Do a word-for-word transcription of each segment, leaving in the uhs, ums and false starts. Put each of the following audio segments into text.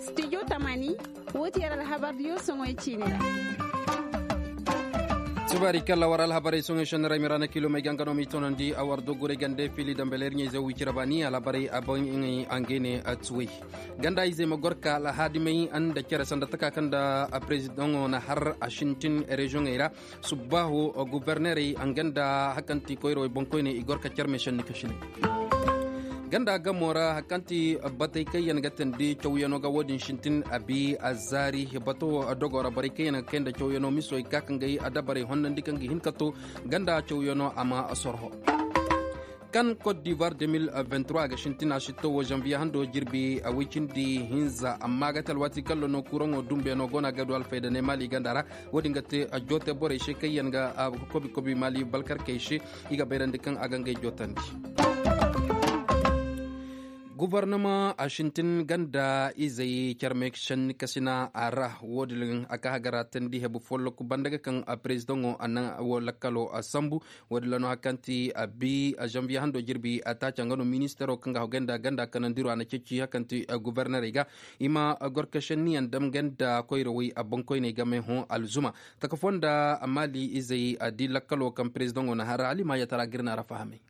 Studio tamani. Woo ti yer alhabardiyo soŋoy ciini ra. Subaari kalla war alhabarey soŋoy šenni ra i ma ra na kiilomey ga nga no m'i toonandi a war doggurey gande fiili dambe leer ɲayze wicira baani alhabarey a ban ŋay a ngey ne a tuwey. Ganda izey ma gor ka alhaadimey nda cere sanda taka kaŋ nda a perezidaŋo na har a sintin reziyoŋey ra. Subbaahu gubernerey nga nda hari kaŋ ti koyrawey boŋkoyney i gor ka carme šenni kasiney. Ganda gamo ra hari kaŋ ti batey kaŋ yaŋ ga teendi cawyaŋo ga wo-din sintin a bi a zaari bato wo dogo ra borey kaŋ yaŋ ga kay nda cawyaŋo miso i ga ka ka ngey adabarey honnandi kaŋ ga hin ka to ganda cawyaŋo a ma sorho. Kan kot divoir deux mille vingt-trois ga sintina sitto wo zanviye hando jirbi a woy cindi hinza amma a ga te alwaati kaŋ lono kuraŋo dumbeyaŋo go no a ga du alfayda ne maali ganda ra. Wo-din ga te joote borey se kaŋ yaŋ ga kobi kobi maali balkarkey se. I ga bayrandi kaŋ a ga ngey jootandi. Gubarnama a sintin ganda izey carme senni kasina a ra wo-din a ka hagara teendi hebu folloku banda ga kaŋ a perezidaŋo a naŋ wo lakkalo a sambu. Wo-din ra no hari kaŋ ti a bi a zanviye hando jirbi a taaca nga no ministaro kaŋ ga hagay nda ganda kanandiro a na ceeci hari kaŋ ti gubarnerey ga i ma gorka senniyaŋ dam ganda koyrawey a boŋkoyney game hõ alzuma. Taka foo nda maali izey a di lakkalo kaŋ perezidaŋo na har alimaayatara ga ir na ra fahamay.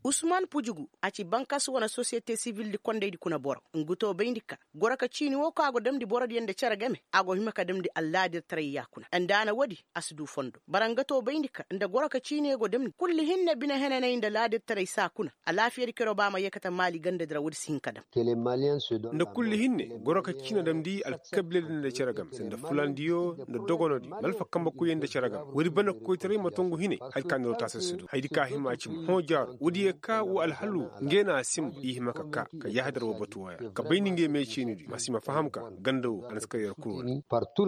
Usman pujugu a ci bankas wane sosiyete sibil di kondaydi kuna boro. Nga to bayndi ka goro ka ciini wo kaŋ a go damndi borodiyaŋ nda cere game a go hima ka damndi allaadirtaray ya kuna nda a na woodi. A si du fondo bara nga to bayndi ka nda goro ka ciini go damndi kulli hinne bine henanay nda laadirtaray saa kuna. Alaafiyadi kero ba ma yeekate maali gandadi ra woodi si hin ka dam. Nda kulli hinne goro ka ciini damndi alkabiiladi nda cere game sanda fulandiyo nda dogonodi nda alfa kambe koyey nda cere game woodi banda koytaray ma tongu hine. Hayadi ka niroo taasi si du hayadi ka hima a ci ma hõ jaaro woodiyo ka wo alhalu ngey na a simba i hima ka kaa ka yahadar wo batu wooya ka bayndi ngey me ciinidi ma si ma faham ka ganda wo a na si kar yer kul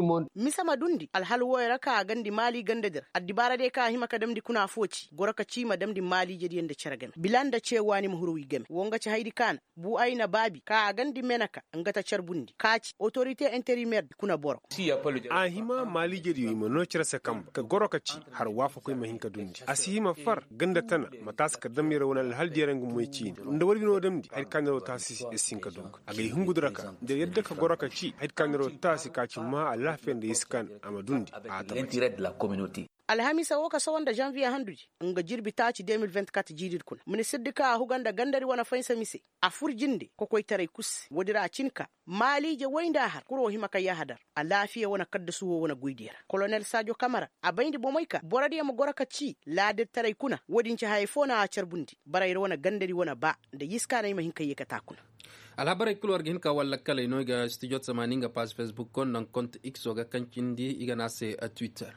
wala. Mise ma dundi alhal wooyo ra ka a gandi maali gandadi ra addibaaradiyo ka a hima ka damndi kuna foo ci goro ka cii ma damndi maaliijediyo nda cere game bila nda cee waani ma huru wi game woo nga ci hayadi ka na bu ay na baabi ka a gandi meneka nga ta carbundi ka ci otorite interimeer di kuna boro. A hima maaliijediyo i ma noo cere se kambe ka goro ka ci har waafakoy ma hin ka dundi a si hima far ganda tana ma taasi ka dam yer wane alhal diyaŋ ra nga moy ciini nda war bino damndi hayadi ka niroo taasi yer si hin ka dooga. Agay hungudi ra ka nda yadda ka goro ka ci hayadi ka niroo taasi ka ci maa alaafiya nda iskan a ma dundi a tabbati. Alhamiisa woo ka sawa nda zanviye handudi nga jirbi taaci deux mille vingt-quatre jiiridi kuna ministirdi ka a huga nda gandadi wane faynsa mise a fur jinde kokoytaray kul se woodi ra a cin ka maaliije woy nda a har kuroo hima ka yahadar alaafiya wane kaddasu woo wane goydiyo ra kolonel saajo kamara a bayndi bomey ka borodiyo ma goro ka cii laadirtaray kuna woodin ci hayey foo na a carbundi bara yer wane gandadi wane baa nda yiskaaney ma hin ka yeekate a kuna. Alhabarey kul war ga hin ka war lakkaley no i ga studio tamaani nga paaz fesbuk koŋ naŋ kont ikso ga kaŋ cindi i ga ne a se twitter.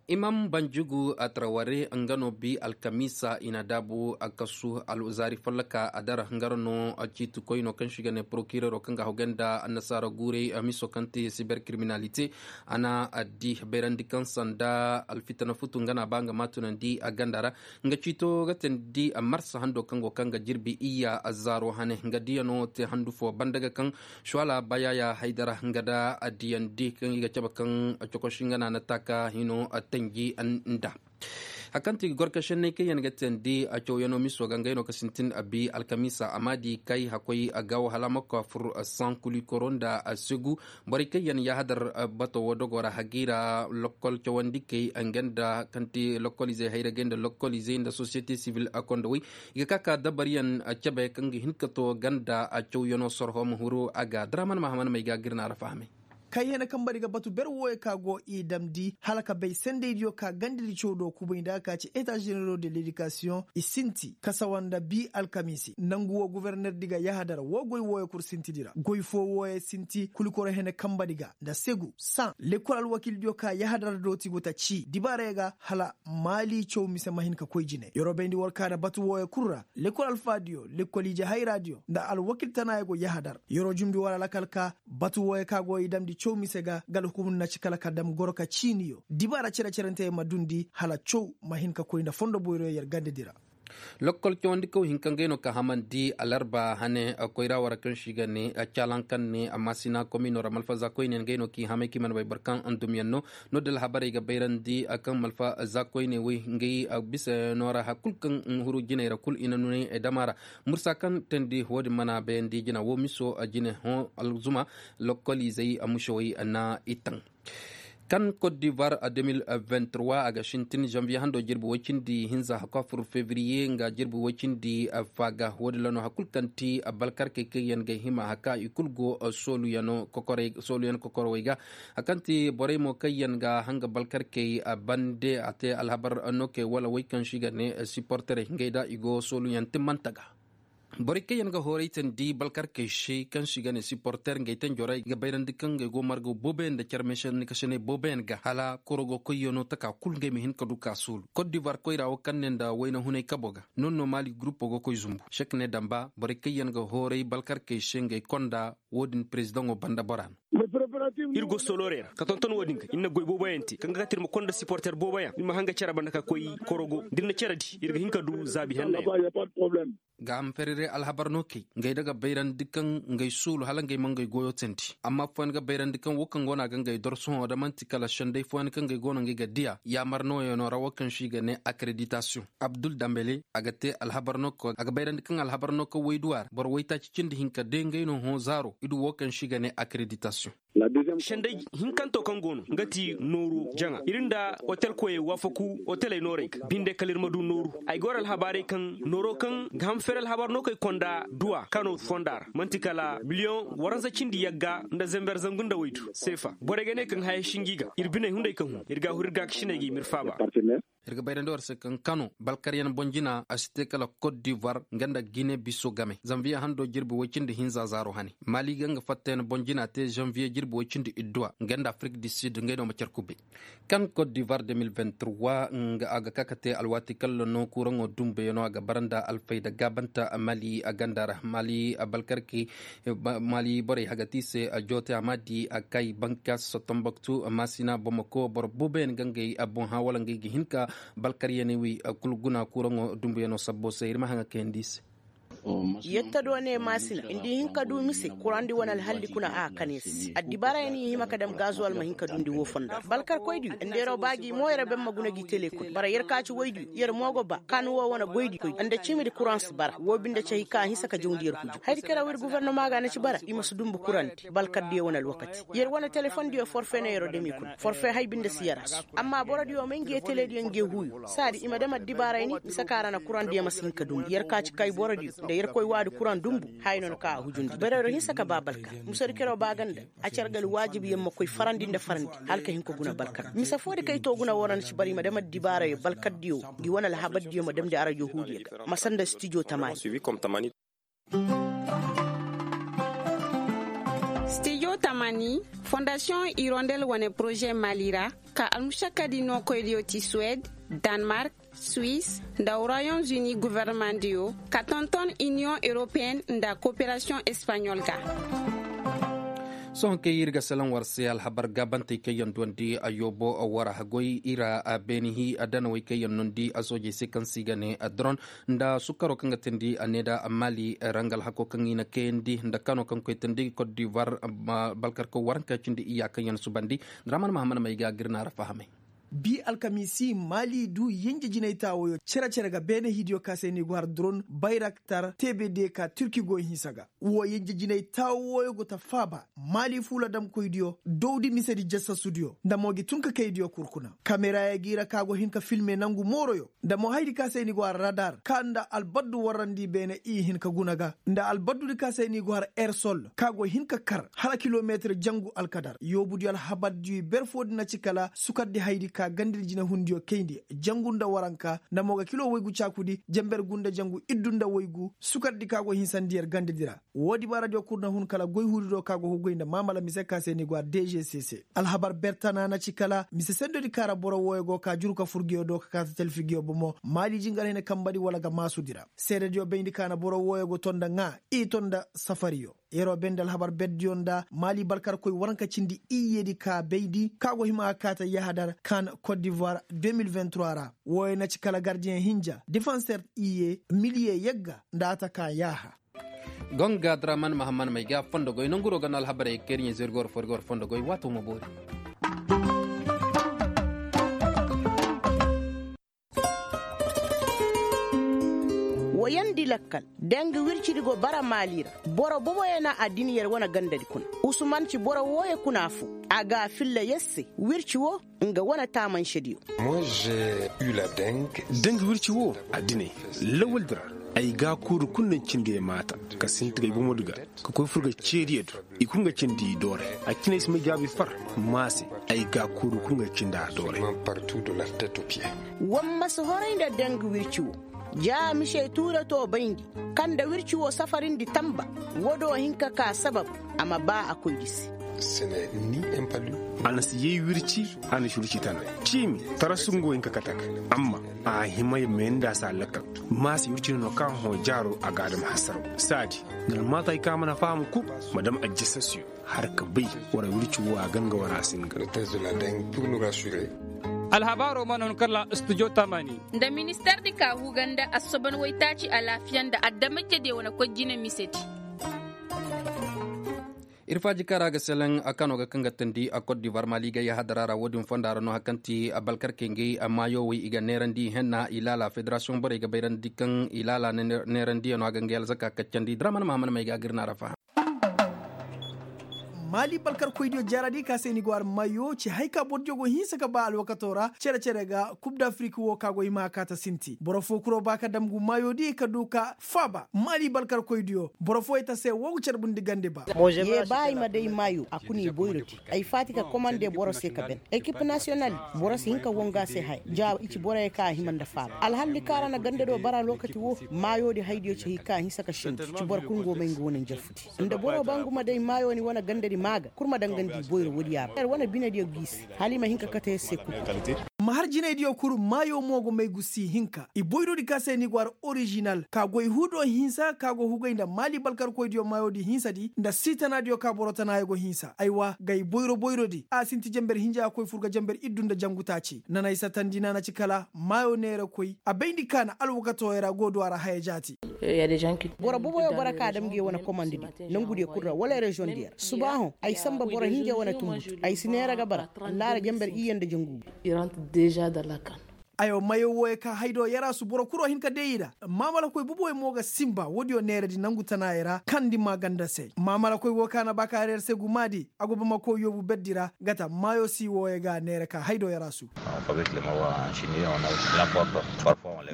Imam banjugu a taraware nga no bi alkamiisa i na daabu a kasu alzaari folloka a dara nga ra no ciitikoyno kaŋ se i ga ne porokirero kaŋ ga hawgay nda annasaara guurey miso kaŋ te siber kiriminalite. A na addi bayrandi kaŋ sanda alfitana futu nga no a ba nga ma tunandi a ganda ra. Nga ciito ga teendi marsa hando kaŋ go kaŋ ga jirbi iyya azzaaro hane nga diyano te handu fo banda ga kaŋ suwala bayaaya haydara nga da addiyandi kaŋ i ga cabe kaŋ cokosi nga no a na taaka hino tanji nda. Hari kaŋ ti gorka senney kaŋ yaŋ ga teendi a cawyano miso ga ngey no ka sintin a bi alkamiisa a ma di kay hakkoy a ga wahala ma ka fur saŋ kulikoro nda a segu. Borey kaŋ yaŋ yaahadar bato wo dogo ra hagay ra lokkol cawandikey nga nda kaŋ ti lokkol izey hayragey nda lokkol izey nda sosiyete sibil a kondowey i ga ka ka dabaryaŋ cabe kaŋ ga hin ka to ganda a cawyano sorho ma huru a ga draman mahaman may ga ga ir na ra fahamay. Kaŋ hene kambadi ga batu ber wooyo ka go i damndi hala ka bay sendaydiyo ka gandadi caw do kubay nda a ka ci eta ženero de ledikasiyoŋ i sinti kasawa nda bi alkamiisi nangu wo gubernerdi ga yahadar woo goy wooyo kul sintidi ra goy foo wooyo sinti kulikoro hene kambadi ga nda segu saŋ lekkol alwakildiyo ka yahadar dooti go ta cii dibaarey ga hala maali caw mise ma hin ka koy jine yeroo bayndi war ka nda batu wooyo kul ra lekkol alfaadiyo lekkol ije hayraadiyo nda alwakil tanaayo go yahadar yeroo jumndi war alakal ka batu wooyo ka go i damndi caw mise ga nga alhukumu na ci kala ka dam goro ka ciiniyo dibaara cere-cerenteyo ma dundi hala caw ma hin ka koy nda fondo boyroyo yer gandadi ra. Lokkol cawandi kaw hinka ngey no ka hamandi alarba hane koyra wara kaŋ si ga ne calan kaŋ ne maasina komino ra malfa za koyne ngey no k'i hamay k'i mana bay boro kaŋ andumyaŋ no. No da alhabarey ga bayrandi kaŋ malfa za koyne wey ngey bisa yaŋo ra hari kulu kaŋ huru jiney ra kulu i na nunay dama ra. Mursa kaŋ teendi wo-din mana bayandi jina wo miso jine hõ alzuma lokkoliizey musewey na i taŋ. Kan kot divoir a deux mille vingt-trois a ga sintin zanviye hando jirbi woy cindi hinza hakwa fur fevriye nga jirbi woy cindi faaga wo-din ra no hari kulu kaŋ ti balkarkey kaŋ yaŋ ga hima haka i kulu go sooluyaŋ kokorowey ga. Hari kaŋ ti borey mo kaŋ yaŋ ga hanga balkarkey bande a te alhabar nokey wala wey kaŋ si ga ne siporterey ngey da i go sooluyaŋ timmante ga. Borey kaŋ yaŋ ga hooray tandi balkarkey se kaŋ si ga ne siporter ngey tanjorey ga bayrandi kaŋ ngey go marga booboyaŋ nda care meesanni kasaney booboyaŋ ga hala korogo koyyaŋo taka kulu ngey ma hin ka du ka suulu kot divoir koyra wo kaŋ ne nda wayna hunay kabo ga. Noŋ no maali gurupo go koy zumbu sek ne damba borey kaŋ yaŋ ga hooray balkarkey se ngey konda wo-din perezidaŋo banda bora no. Ir go solorey ra ka tonton wo-din ga ir na goy booboyaŋ te kaŋ ga kate ir ma konda siporter booboyaŋ ir ma hanga care banda ka koy korogo da ir na care di ir ga hin ka du zaabi henney. Gaaham ferere alhabar no kay ngey daga bayrandi kaŋ ngey suulu hala ngey ma ngey goyo teendi amma fooyaŋ ga bayrandi kaŋ wo kaŋ go no a ga ngey dor sohõ da man'ti kala senday fooyaŋ kaŋ ngey go no ngey ga diya yaamar nooyaŋo ra wo kaŋ se i ga ne akreditasiyoŋ. Abdul dambele a ga te alhabar no kaŋ a ga bayrandi kaŋ alhabar no kaŋ wayduwa ra boro waytaaci cindi hinka de ngey no hõ zaaro i du wo kaŋ se i ga ne akreditasiyoŋ. Senday hinkanto kaŋ go no nga ti nooru jaŋa ir nda otel koyey waafaku oteley noorey ga binde kala ir ma du nooru. Ay ga war alhabaarey kaŋ nooro kaŋ ga ham fere alhabar no kay konda duwa kano fonda ra man'ti kala miliyoŋ waransa cindi yagga nda zember zangu nda waydu seefa borey ga ne kaŋ haya singi ga ir biney hunday kaŋ hun ir ga hur ir ga kasiney ga i ma ir faaba. Ir ga bayrandi war se kaŋ kano balkaryaŋ bonjina a si te kala kot divoir nga nda gine biso game zanviye hando jirbi woy cindi hinza zaaro hane maali ga nga fattayaŋ bonjina te zanviye jirbi woy cindi idduwa nga nda afirik di sid ngey no ma care kubay. Kan kot divoir deux mille vingt-trois nga a ga ka ka te alwaati kalla no kuraŋo dumbuyaŋo a ga bara nda alfayda gaabanta maali a ganda ra maali balkarkey maali borey hagati se joote a ma di a kay bankas tomboktu maasina bomoko boro booboyaŋ ga ngey boŋ hã wala ngey ga hin ka balkaryaney wey kulu guna kuraŋo dumbuyaŋo sabbo se ir ma haŋa kayandi i se. Yetta do ne maasina nda i hin ka du mise kurandi wane alhalli kuna a kane se addibaarayaŋ i hima ka dam gazuwal ma hin ka dundi wo fonda balkarkoydiyo nda yaraw ba gi mo yaraw ben ma guna gi tele kul bara yer ka ci woydiyo yer mo go ba kan wo wane goydiyo nda cimidi kuraŋ si bara wo binde cahi ka a hinsa ka jawndi yer huju hayadi karaw ir gufernoma ga na ci bara i ma si dumbu kurandi balkardiyo wane alwakati yer wane telefondiyo forfe no yeroo dami kul forfe hay binde si yer a su amma borodiyo may nge telediyo nge huuyo saadi i ma dam addibaarayni mise ka ra na kurandiyo ma si hin ka dumbu yer ka ci kay borodiyo nda yer koy waadi kuran dumbu haya no na ka a hujundi barayro hinsa ka ba balkar musadi keroo ba ga nda a ci algal waajibiyaŋ ma koy farandi nda farandi hala ka hin ka guna balkar mise foodi kay to guna wara na ci bara i ma dam addibaarayo balkardiyo ngi wane alhabardiyo ma damndi arajo huudiyo ga ma sanda stijo tamaani. Stijo tamani fondasiyoŋ irondel wane poroze mali ra ka almušakadi nookoydiyo ti suwed, danmark, suis, nda royom zuni governemandiyo ka tonton iniyoŋ europeyen nda koperasiyoŋ espaɲol ga. Sohõ kay ir ga salaŋ war se alhabar gaabantey kaŋ yaŋ duwandi ayyoobo wara goy ira beeni hi adanawey kaŋ yaŋ nondi asoojey se kaŋ se i ga ne dron nda sukaro kaŋ ga teendi a ne da maali rangal hako kaŋ i na kayandi nda kano kaŋ koy teendi kot divoir balkarko waranka cindi iyya kaŋ yaŋ subandi. Draman mahamad may ga gir na ra fahamay. Bi alkamiisi maali du yinje jinay taawoyo cere-cere ga beene hidiyo ka se ni go har dron bayraktar tbd ka turki go hinsa ga. Wo yinje jinay taawoyo go ta faaba maali fuula damkoydiyo dowdi misedi jasasudiyo nda mo gi tun ka kaydiyo kul kuna kameraya gi ra ka go hin ka filme nangu mooroyo nda mo haydi ka se ni go har radar ka nda albaddu warandi beene i hin ka guna ga nda albaddudi ka se ni go har ersol ka go hin ka kar hala kilometir jangu alkadar yoobudiyo alhabardiyo i ber foodi na ci kala sukardi haydi ka gandidi jinahundiyo kayndi jangu nda waranka nda mo ga kilo woygu caakudi jember gu nda jangu iddu nda woygu sukardi ka go hinsandi yer gandidi ra. Woodi baaradiyo kul na hun kala goy huudi do ka go ga goy nda maamala mise ka se ni go har dgcc alhabar bertana na ci kala mise sendodi ka ra boro wooyo go ka juru ka fur nguyo do ka kaata talfi nguyo bomo maali jingar hene kambadi wala ga maasudi ra seedediyo bayndi ka na boro wooyo go ton nda ŋaa i ton nda safariyo. Yeroo bay nda alhabar berdiyo nda maali balkarkoy waranka cindi iyyeedi ka bayndi ka go hima ka kaata yahadar kan kot divoir. Ra wooyo na ci kala gardiyeŋ hinja defanseer iyye miliye yagga nda a ta ka yaaha. Gonga draman mahamman may ga fondo goy nanguro ga no alhabarey kayriɲey zirgor forgor fondo goy waato ma boori. Woyandi lakkal, dangi wircidi go bara maali ra. Boro boboyo na addin yer wane gandadi kuna. Usuman ci boro wooyo kuna foo. A ga a filla yer se wirci woo nga wane taamansediyo. Dangi wirci woo addiney lawaldi ra. Ay ga a kuuru kul nda cindi ay maata ka sinti ga ay bomodi ga ka koy fur ga ceediyo do. I kul nga cindi i dooray. A cine ay si may jaabi far. Maa se ay ga a kuuru kul nga cindi a dooray. War ma si horay nda dangi wirci woo. Ja misey tuuratoo bayndi kaŋ nda wirci woo safarindi tanba. Woodoo hin ka kaa sabab a ma baa a koydi se. A na si yay wirci. A na si wirci tana ciimi tarasu nga wo hin ka kate a ga. Amma a hima ya mayandi a se a lakkal. Maa se wirci no no kaŋ a hõ jaaroo a ga a dam hasaraw saadi. Nga almaatay kaŋ a mana faham kul ma dam ajjasasiyo. Har ka bay wara wirci woo a ganga wara a si nga. Alhabaaroo mana hun kalla studio tamani. Nda ministardi ka huga nda assoban waytaaci alaafiya nda adamajediyo wane koy jine misedi. Ir faaji kaŋ ra a ga selaŋ a kano ga kaŋ ga tandi a kot divar maali ga yahadara ra wo-din fonda ra no hari kaŋ ti a balkarkey ngey a maayo wey i ga neerandi i henna i laala federasiyoŋ borey ga bayrandi kaŋ i laala neerandiyano a ga ngey alzaka kaccandi draman mahaman may ga a ga ir na a ra faham. Maali balkarkoydiyo jaaradi ka se ni go har mayo ci hay ka bordiyo go hinsa ka ba alwakato ra cere-cere ga kub d'afrik wo ka go hima ka ta sinti boro fo kuro ba ka dam gu mayo di ka du ka faaba maali balkarkoydiyo boro fo ay ta se wo ga carbundi gande ba. Ye ba ay ma day mayo a kuna i boyro te. Ay faati ka komande boro se ka ben ekip nasiyonal. Boro si hin ka wonga se haya ja i ci boroyo ka a hima nda faaba alhalli kaara na gande do bara lokaci wo. Mayo di haydiyo ci hay ka a hinsa ka sindi ci boro kul ngo may nga wane njarfu di nda boro ba ngu ma day mayo ni wane gande di maa ga kul ma dangandi i boyro woodiya ra yer wane binediyo g'i se hala i ma hin ka kate yer se kul. Ma har jinaydiyo kul mayo mo go may gu si hinka i boyro di ka se ni go har orizinal ka goy hudo hinsa ka go hugay nda maali balkarkoydiyo mayo di hinsa di nda si tanaadiyo ka boro tanaayo go hinsa aywa gay boyro boyro di a sinti jamber hinja a koy fur ga jamber iddu nda jangu taaci nanay satandi na na ci kala maayo neerakoy a bayndi ka na alwakatooyo ra go du a ra haya jaati. Boro boboyo bara ka a dam nge wane komandidi nangudiyo kul ra wala reziyoŋdiyo ra suba hõ ay samba boro hinja wane tunbutu ay si neera ga bara allaara jamber iyye nda jangu. Aywa mayo wooyo ka haydo yaraasu boro kuro hin ka day i ra maamalakoy boboyo mo ga sinba woodiyo neeradi nangu tanaayo ra kandi maaganda se maamalakoy woo ka na ba ka har yer se gumaadi a go bamako yoobu berdi ra gata maayo si wooyo ga neera ka haydo yaraasu.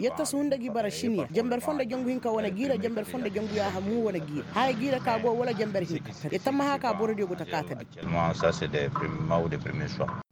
Yetta si hunda gi bara siniya jamber foo nda jangu hinka wane gi ra jamber foo nda jangu yaaha mu wane gi ra haya gi ra ka go wala jamber hinka. Yetta ma haka borodiyo go ta kaata di.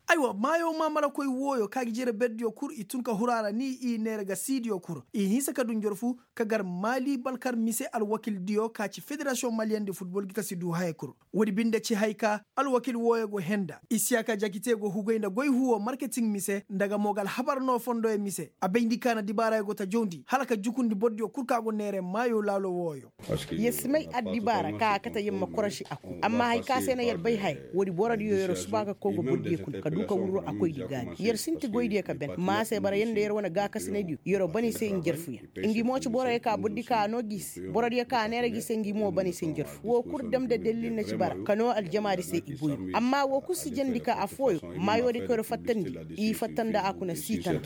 Aywa maayo maamalakoy wooyo ka gi jere berdiyo kul i tun ka huru a ra ni i neera ga siidiyo kul i hinsa ka du njorfu ka gar maali balkar mise alwakildiyo ka ci federasiyoŋ maliyeŋ di futbol gi ka si du haya kul. Woodi binde ci hay ka alwakil wooyo go henda isiyaaka jakite go hugay nda goy huwo marketing mise nda ga mo ga alhabar no fondoyo mise a bayndi ka na dibaarayo go ta jawndi hala ka jukundi bordiyo kul ka go neere maayo laalo wooyo. Yer si may addibaara ka a kate yer ma korosi a ku amma hay ka se na yer bay haya woodi borodiyo yer suba ka koy go bordiyo kuna ka du ka wurru a koydi gaani yer sinti goydiyo ka ben maa se bara yer nda yer wane gaakasinaydiyo yer bana i se njarfuyaŋ. Ngi mo ci boroyo ka bordi ka a noo gi se borodiyo ka a neera gi se ngi mo bana i se njarfu woo kul dam nda dallil na ci bara ka noo aljamaadi se i boyru amma woo kul si jandi ka affooyo maayoodi koyro fattandi i fatta nda a kuna siitana.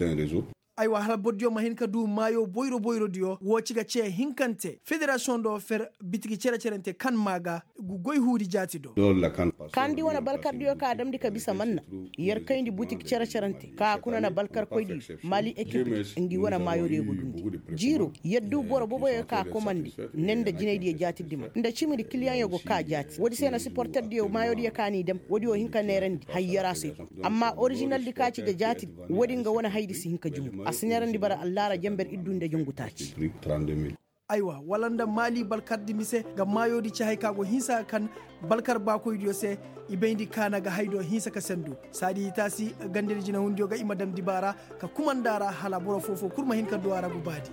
Aywa hala bordiyo ma hin ka du maayo boyro boyrodiyo woo ci ga cee hinkante federasiyoŋ do fer bitiki cere-cerente kaŋ maa ga gu goy huudi jaati do. Kaŋ di wane balkardiyo ka damndi ka bisa manna yer kayndi butik cere-cerente ka kuna na balkarkoydiyo maali ekip ngi wane maayoodiyo go dundi jiiro yer du boro boboyo ka komandi ne nda jinaydiyo jaati dima nda cimidi kiliyaŋyo go ka jaati woodi se na siporterdiyo maayoodiyo ka n'i dam woodiyo hin ka neerandi hayyara se. Amma orizinaldi ka ci ga jaatidi woodi nga wane haydi si hin ka jumbu a si neerandi bara allaara jamber iddu nda jangu taaci. Aywa wala nda maali balkardi mise nga maayoodi ci hay ka go hinsa ga kan balkar baakoydiyo se i bayndi kaana ga haydo hinsa ka sendu saadi i taasi gandedi jinahundiyo ga i ma dam dibaara ka kumanda ra hala boro foo-foo kul ma hin ka du a ra gubaadi.